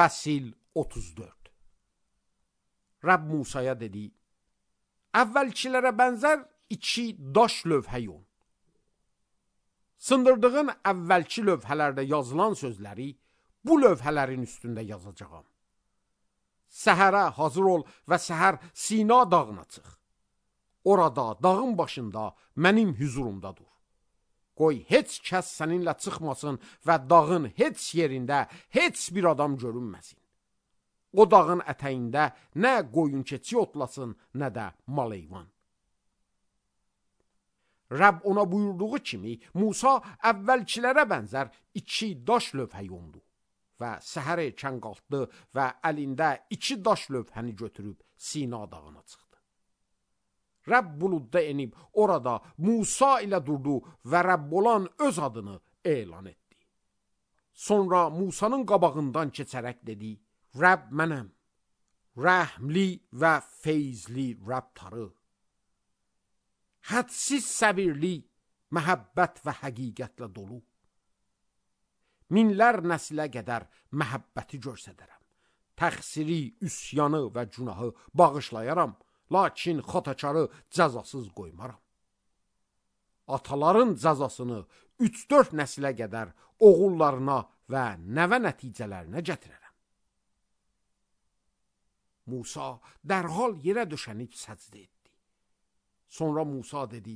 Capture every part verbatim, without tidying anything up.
Fəsil otuz dörd. Rəbb Musaya dedi: Əvvəlkilərə bənzər iki daş lövhə yon. Sındırdığın əvvəlki lövhələrdə yazılan sözləri bu lövhələrin üstündə yazacağam. Səhərə hazır ol və səhər Sina dağına çıx. Orada, dağın başında mənim hüzurumda dur. Qoy heç kəs səninlə çıxmasın və dağın heç yerində heç bir adam görünməsin. O dağın ətəyində nə qoyun keçi otlasın, nə də mal heyvan. Rəbb ona buyurduğu kimi Musa əvvəlkilərə bənzər iki daş lövhə yondu və səhər erkən qalxdı və əlində iki daş lövhəni götürüb Sina dağına çıxdı. Rəbb buludda enib orada Musa ilə durdu və Rəbb olan öz adını elan etdi. Sonra Musanın qabağından keçərək dedi: Rəbb mənəm, rəhmli və feyzli Rəbb tarı. Hədsiz səbirli, məhəbbət və həqiqətlə dolu. Minlər nəslə qədər məhəbbəti göstərərəm. Təqsiri, üsyanı və günahı bağışlayaram. Lakin xatakarı cəzasız qoymaram. Ataların cəzasını üç dörd nəslə qədər oğullarına və nəvə nəticələrinə gətirərəm. Musa dərhal yerə döşənib səcdə etdi. Sonra Musa dedi: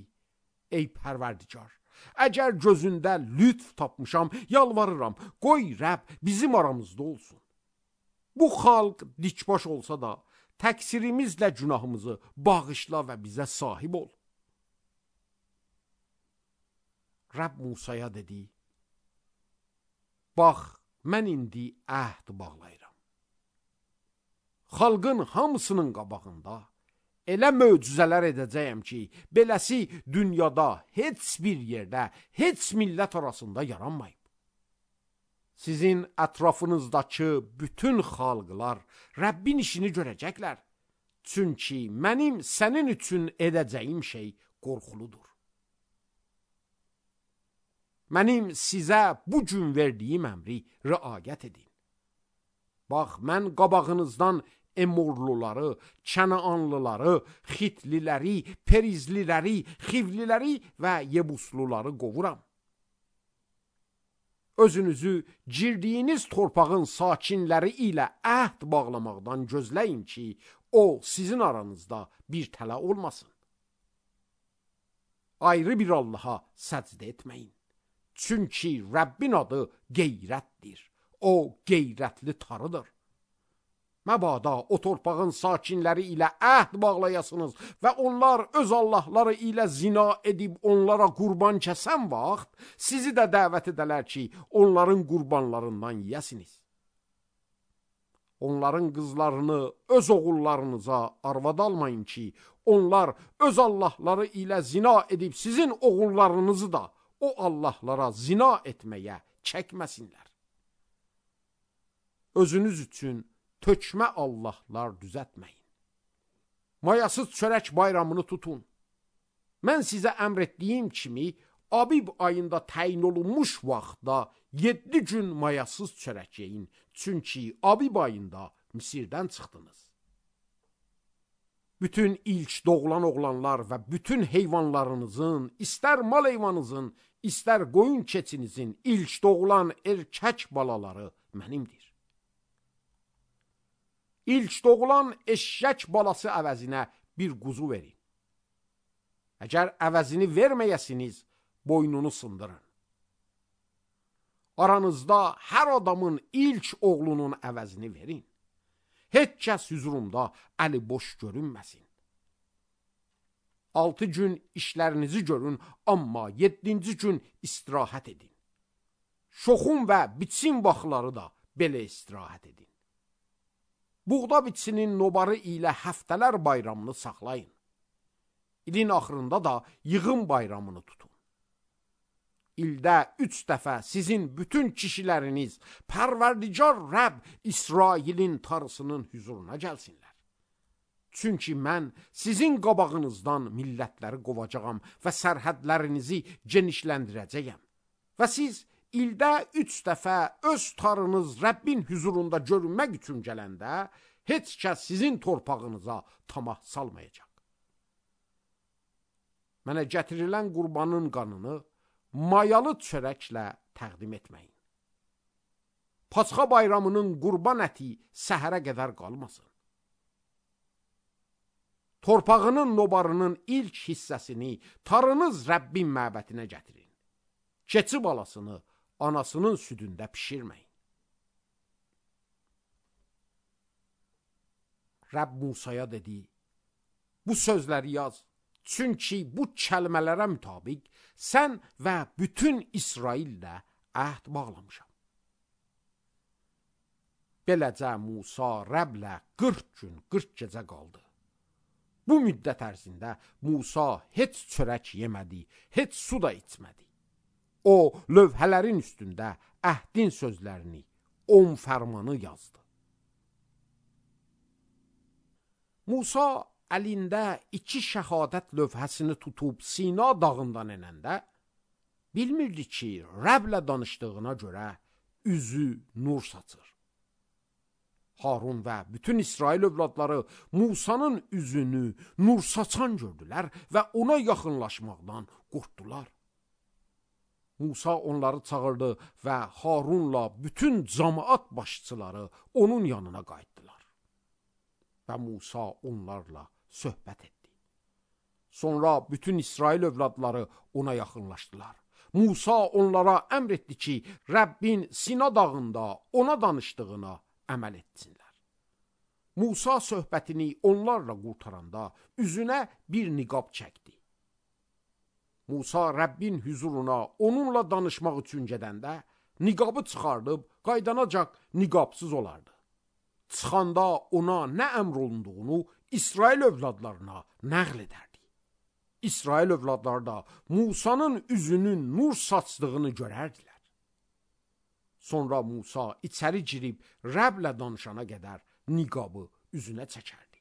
Ey Pərverdigar, əgər gözündə lütf tapmışam, yalvarıram, qoy Rəbb bizim aramızda olsun. Bu xalq dikbaş olsa da təqsirimizlə günahımızı bağışla və bizə sahib ol. Rəbb Musaya dedi: Bax, mən indi əhd bağlayıram. Xalqın hamısının qabağında elə möcüzələr edəcəyəm ki, beləsi dünyada heç bir yerdə, heç millət arasında yaranmayıb. Sizin ətrafınızdakı bütün xalqlar Rəbbin işini görəcəklər. Çünki mənim sənin üçün edəcəyim şey qorxuludur. Mənim sizə bu gün verdiyim əmri riayət edin. Bax, mən qabağınızdan Emorluları, Kənaanlıları, Xitliləri, Perizliləri, Xivliləri və Yebusluları qovuram. Özünüzü girdiyiniz torpağın sakinləri ilə əhd bağlamaqdan gözləyin ki, o sizin aranızda bir tələ olmasın. Ayrı bir Allaha səcdə etməyin. Çünki Rəbbin adı qeyrətdir. O qeyrətli tarıdır. Məbada o torpağın sakinləri ilə əhd bağlayasınız və onlar öz Allahları ilə zina edib onlara qurban kəsən vaxt sizi də dəvət edələr ki, onların qurbanlarından yiyəsiniz. Onların qızlarını öz oğullarınıza arvad almayın ki, onlar öz Allahları ilə zina edib sizin oğullarınızı da o Allahlara zina etməyə çəkməsinlər. Özünüz üçün tökmə Allahlar düzətməyin. Mayasız çörək bayramını tutun. Mən sizə əmr etdiyim kimi, Abib ayında təyin olunmuş vaxtda yeddi gün mayasız çörək yeyin. Çünki Abib ayında Misirdən çıxdınız. Bütün ilk doğulan oğlanlar və bütün heyvanlarınızın, istər mal heyvanınızın, istər qoyun keçinizin ilk doğulan erkək balaları mənimdir. İlk doğulan eşşək balası əvəzinə bir quzu verin. Əgər əvəzini verməyəsiniz, boynunu sındırın. Aranızda hər adamın ilk oğlunun əvəzini verin. Heç kəs hüzurumda əli boş görünməsin. Altı gün işlərinizi görün, amma yeddinci gün istirahət edin. Şoxun və biçin vaxtları da belə istirahət edin. Buğda biçinin nobarı ilə həftələr bayramını saxlayın. İlin axırında da yığın bayramını tutun. İldə üç dəfə sizin bütün kişiləriniz Pərverdigar Rəbb İsrailin tarısının hüzuruna gəlsinlər. Çünki mən sizin qabağınızdan millətləri qovacağam və sərhədlərinizi genişləndirəcəyəm. Və siz ildə üç dəfə öz tarınız Rəbbin huzurunda görünmək üçün gələndə, heç kəs sizin torpağınıza tamah salmayacaq. Mənə gətirilən qurbanın qanını mayalı çörəklə təqdim etməyin. Pasxa bayramının qurban əti səhərə qədər qalmasın. Torpağının nobarının ilk hissəsini tarınız Rəbbin məbədinə gətirin. Keçi balasını anasının südündə pişirməyin. Rəbb Musaya dedi, bu sözləri yaz, çünki bu kəlmələrə mütabiq sən və bütün İsraillə əhd bağlamışam. Beləcə Musa Rəblə qırx gün, qırx gecə qaldı. Bu müddət ərzində Musa heç çörək yemədi, heç su da içmədi. O, lövhələrin üstündə əhdin sözlərini, on fərmanı yazdı. Musa əlində iki şəhadət lövhəsini tutub Sina dağından enəndə, bilmirdi ki, Rəblə danışdığına görə üzü nur saçır. Harun və bütün İsrail övladları Musanın üzünü nur saçan gördülər və ona yaxınlaşmaqdan qorxdular. Musa onları çağırdı və Harunla bütün cəmaət başçıları onun yanına qayıtdılar. Və Musa onlarla söhbət etdi. Sonra bütün İsrail övladları ona yaxınlaşdılar. Musa onlara əmr etdi ki, Rəbbin Sina dağında ona danışdığına əməl etsinlər. Musa söhbətini onlarla qurtaranda üzünə bir niqab çəkdi. Musa Rəbbin huzuruna onunla danışmaq üçün gedəndə niqabı çıxardıb qaydanacaq niqabsız olardı. Çıxanda ona nə əmr olunduğunu İsrail övladlarına nəql edərdi. İsrail övladları da Musanın üzünün nur saçdığını görərdilər. Sonra Musa içəri girib Rəblə danışana qədər niqabı üzünə çəkərdi.